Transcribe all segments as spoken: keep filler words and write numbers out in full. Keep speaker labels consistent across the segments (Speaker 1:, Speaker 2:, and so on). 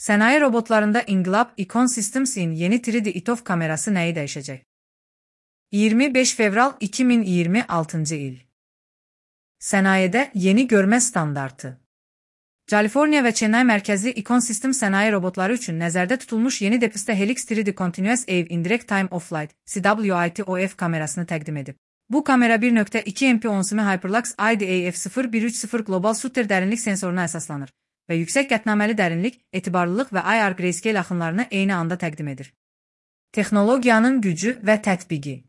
Speaker 1: Sənaye robotlarında İnqilab Icon Systems'in yeni üç D I T O F kamerası nəyi dəyişəcək? iyirmi beş fevral iki min iyirmi altıncı il. Sənayedə yeni görmə standartı. Kaliforniya və Çennay mərkəzli Icon Systems sənaye robotları üçün nəzərdə tutulmuş yeni Depista Helix üç D Continuous Wave Indirect Time of Flight C W I T O F kamerasını təqdim edib. Bu kamera bir nöqtə iki M P onsimi Hyperlux I D A F sıfır bir üç sıfır Global Shooter dərinlik sensoruna əsaslanır və yüksək qətnaməli dərinlik, etibarlılıq və I R grayscale axınlarını eyni anda təqdim edir. Texnologiyanın gücü və tətbiqi.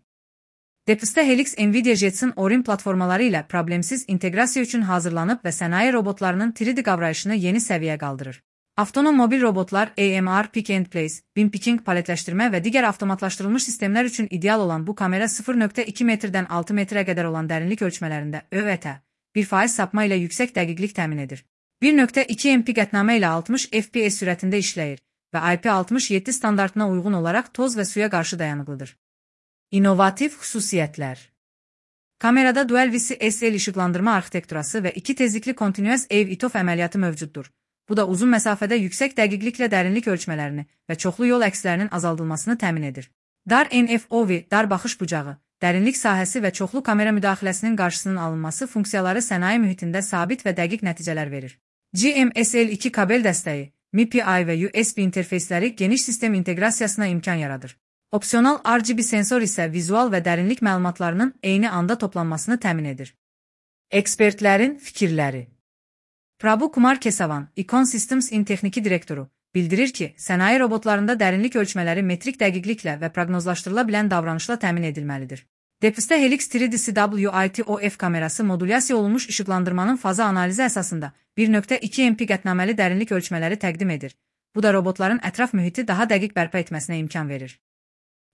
Speaker 1: Depista Helix Nvidia Jetson Orin platformaları ilə problemsiz inteqrasiya üçün hazırlanıb və sənaye robotlarının üç D qavrayışını yeni səviyyə qaldırır. Avtonom mobil robotlar, A M R, Pick and Place, Bin Picking, paletləşdirmə və digər avtomatlaşdırılmış sistemlər üçün ideal olan bu kamera sıfır nöqtə iki metrdən altı metrə qədər olan dərinlik ölçmələrində Ö V T bir faiz sapma ilə yüksək dəqiqlik təmin edir. bir nöqtə iki M P qətnamə ilə altmış F P S sürətində işləyir və I P altmış yeddi standartına uyğun olaraq toz və suya qarşı dayanıqlıdır. İnnovativ xüsusiyyətlər. Kamerada Dual V C S L işıqlandırma arxitekturası və iki tezlikli Continuous Wave I T O F əməliyyatı mövcuddur. Bu da uzun məsafədə yüksək dəqiqliklə dərinlik ölçmələrini və çoxlu yol əkslərinin azaldılmasını təmin edir. Dar N F O V, dar baxış bucağı, dərinlik sahəsi və çoxlu kamera müdaxiləsinin qarşısının alınması funksiyaları sənaye mühitində sabit və dəqiq nəticələr verir. G M S L iki kabel dəstəyi, M I P I və U S B interfeysləri geniş sistem inteqrasiyasına imkan yaradır. Opsional R G B sensor isə vizual və dərinlik məlumatlarının eyni anda toplanmasını təmin edir. Ekspertlərin fikirləri. Prabhu Kumar Kesavan, Icon Systems'in texniki direktoru, bildirir ki, sənaye robotlarında dərinlik ölçmələri metrik dəqiqliklə və proqnozlaşdırıla bilən davranışla təmin edilməlidir. Depista Helix üç D C W I T O F kamerası modulyasiya olunmuş işıqlandırmanın faza analizi əsasında bir nöqtə iki M P qətnaməli dərinlik ölçmələri təqdim edir. Bu da robotların ətraf mühiti daha dəqiq bərpa etməsinə imkan verir.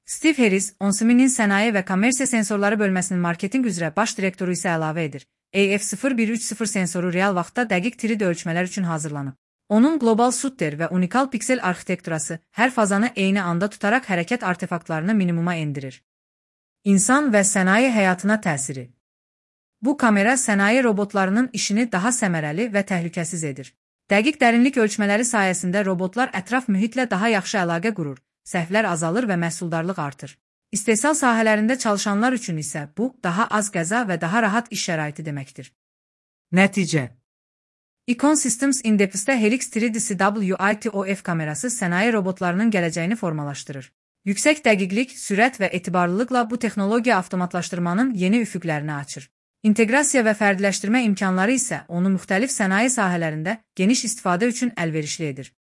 Speaker 1: Steve Harris, Onsiminin sənaye və kommersiya sensorları bölməsinin marketinq üzrə baş direktoru isə əlavə edir. A F sıfır bir üç sıfır sensoru real vaxtda dəqiq üç D ölçmələr üçün hazırlanıb. Onun Global Shooter və unikal piksel arxitekturası hər fazanı eyni anda tutaraq hərəkət artefaktlarını minimuma endirir. İnsan və sənaye həyatına təsiri. Bu kamera sənaye robotlarının işini daha səmərəli və təhlükəsiz edir. Dəqiq dərinlik ölçmələri sayəsində robotlar ətraf mühitlə daha yaxşı əlaqə qurur, səhvlər azalır və məhsuldarlıq artır. İstehsal sahələrində çalışanlar üçün isə bu, daha az qəza və daha rahat iş şəraiti deməkdir. Nəticə. Icon Systems Depista Helix üç D C W I T O F kamerası sənaye robotlarının gələcəyini formalaşdırır. Yüksək dəqiqlik, sürət və etibarlılıqla bu texnologiya avtomatlaşdırmanın yeni üfüqlərini açır. İnteqrasiya və fərdiləşdirmə imkanları isə onu müxtəlif sənaye sahələrində geniş istifadə üçün əlverişli edir.